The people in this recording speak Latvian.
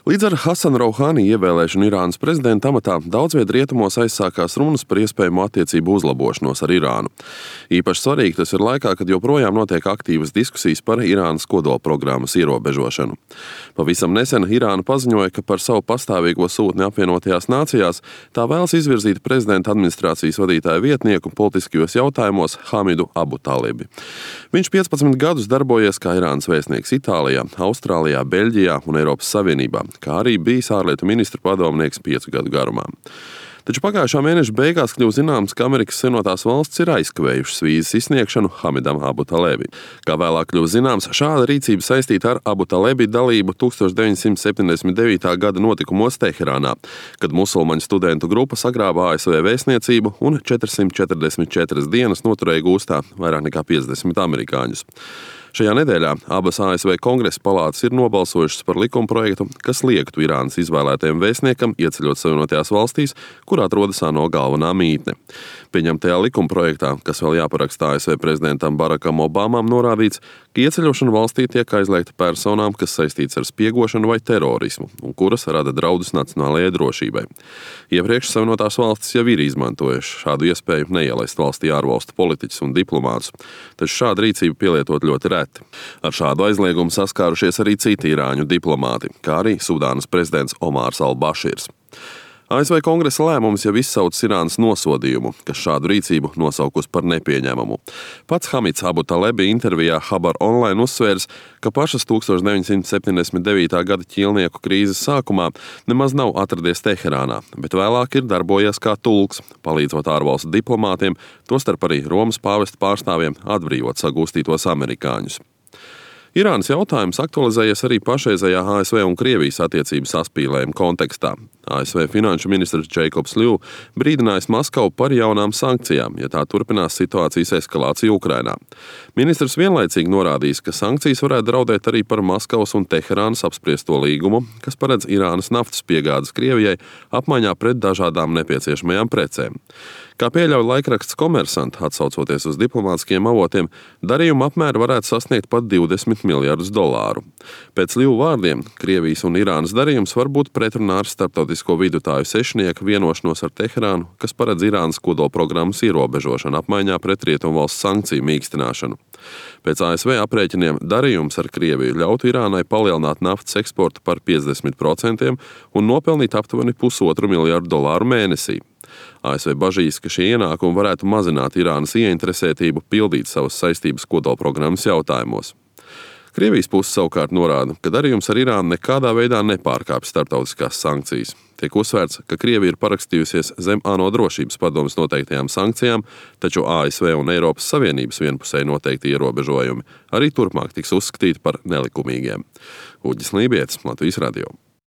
Līdz ar Hasanu Rouhani ievēlēšanu Irānas prezidenta amatā daudz viet rietumos aizsākās runas par iespējamu attiecību uzlabošanos ar Irānu. Īpaši svarīgi tas ir laikā, kad joprojām notiek aktīvas diskusijas par Irānas kodolprogrammas ierobežošanu. Pavisam nesen Irāna paziņoja, ka par savu pastāvīgo sūtni apvienotajās nācijās tā vēlas izvirzīt prezidenta administrācijas vadītāja vietnieku politiskajos jautājumos Hamidu Abu Talibi. Viņš 15 gadus darbojies kā Irānas vēstnieks Itālijā, Austrālijā, Beļģijā un Eiropas Savienībā, kā arī bijis ārlietu ministra padomnieks 5 gadu garumā. Taču pagājušā mēneša beigās kļuva zināms, ka Amerikas Savienotās valstis ir aizkavējušas vīzas izsniegšanu Hamidam Abu Talebi. Kā vēlāk kļuva zināms, šāda rīcība saistīta ar Abu Talebi dalību 1979. gada notikumos Teherānā, kad musulmaņu studentu grupa sagrāba ASV vēstniecību un 444 dienas noturēja gūstā vairāk nekā 50 amerikāņus. Šajā nedēļā abas ASV Kongresa palātas ir nobalsojušas par likumprojektu, kas liektu Irānas izvēlētajam vēstniekam ieceļot Savienotajās valstīs, kur atrodas ANO galvenā mītne. Pieņemtajā likumprojektā, kas vēl jāparaksta ASV prezidentam Barakam Obamam, norādīts, ka ieceļošana valstī tiek aizliegta personām, kas saistīts ar spiegošanu vai terorismu un kuras rada draudus nacionālajai drošībai. Iepriekš Savienotās valstis jau ir izmantojuši šādu iespēju neielaist valstī ārvalstu politiķus un diplomātus, taču šāda rīcība pielietot ļoti reti. Ar šādu aizliegumu saskārušies arī citi irāņu diplomāti, kā arī Sudānas prezidents Omārs al-Bašīrs. ASV Kongresa lēmums jau izsaucis Irānas nosodījumu, kas šādu rīcību nosaukus par nepieņemamu. Pats Hamids Abu Talebi intervijā Habar Online uzsvērs, ka pašas 1979. gada ķīlnieku krīzes sākumā nemaz nav atradies Teherānā, bet vēlāk ir darbojies kā tulks, palīdzot ārvalstu diplomātiem, tostarp arī Romas pāvesta pārstāvjiem atbrīvot sagūstītos amerikāņus. Irānas jautājums aktualizējies arī pašreizējā ASV un Krievijas attiecību saspīlējuma kontekstā. ASV finanšu ministrs Jacobs Liu brīdinājis Maskavu par jaunām sankcijām, ja tā turpinās situācijas eskalāciju Ukrainā. Ministrs vienlaicīgi norādījis, ka sankcijas varētu draudēt arī par Maskavas un Teherānas apspriesto līgumu, kas paredz Irānas naftas piegādes Krievijai apmaiņā pret dažādām nepieciešamajām precēm. Kā pieļauj laikraksts Komersant, atsaucoties uz diplomātiskiem avotiem, darījuma apmēri varētu sasniegt pat $20 miljardus. Pēc Liu vārdiem, Krievijas un Irānas darījums var būt pretrunā ar starptautisko vidutāju sešnieku vienošanos ar Teherānu, kas paredz Irānas kodolprogrammas ierobežošanu apmaiņā pret rietumvalstu sankciju mīkstināšanu. Pēc ASV aprēķiniem darījums ar Krieviju ļautu Irānai palielināt naftas eksportu par 50% un nopelnīt aptuveni $1,5 miljardu mēnesī. ASV bažīs, ka šie ienākumi varētu mazināt Irānas ieinteresētību pildīt savas saistības kodolprogrammas jautājumos. Krievijas puse savukārt norāda, ka darījums ar Irānu nekādā veidā nepārkāpj starptautiskās sankcijas. Tiek uzsvērts, ka Krievija ir parakstījusies zem ANO drošības padomes noteiktajām sankcijām, taču ASV un Eiropas Savienības vienpusēji noteikti ierobežojumi arī turpmāk tiks uzskatīti par nelikumīgiem. Uģis Lībietis, Latvijas radio.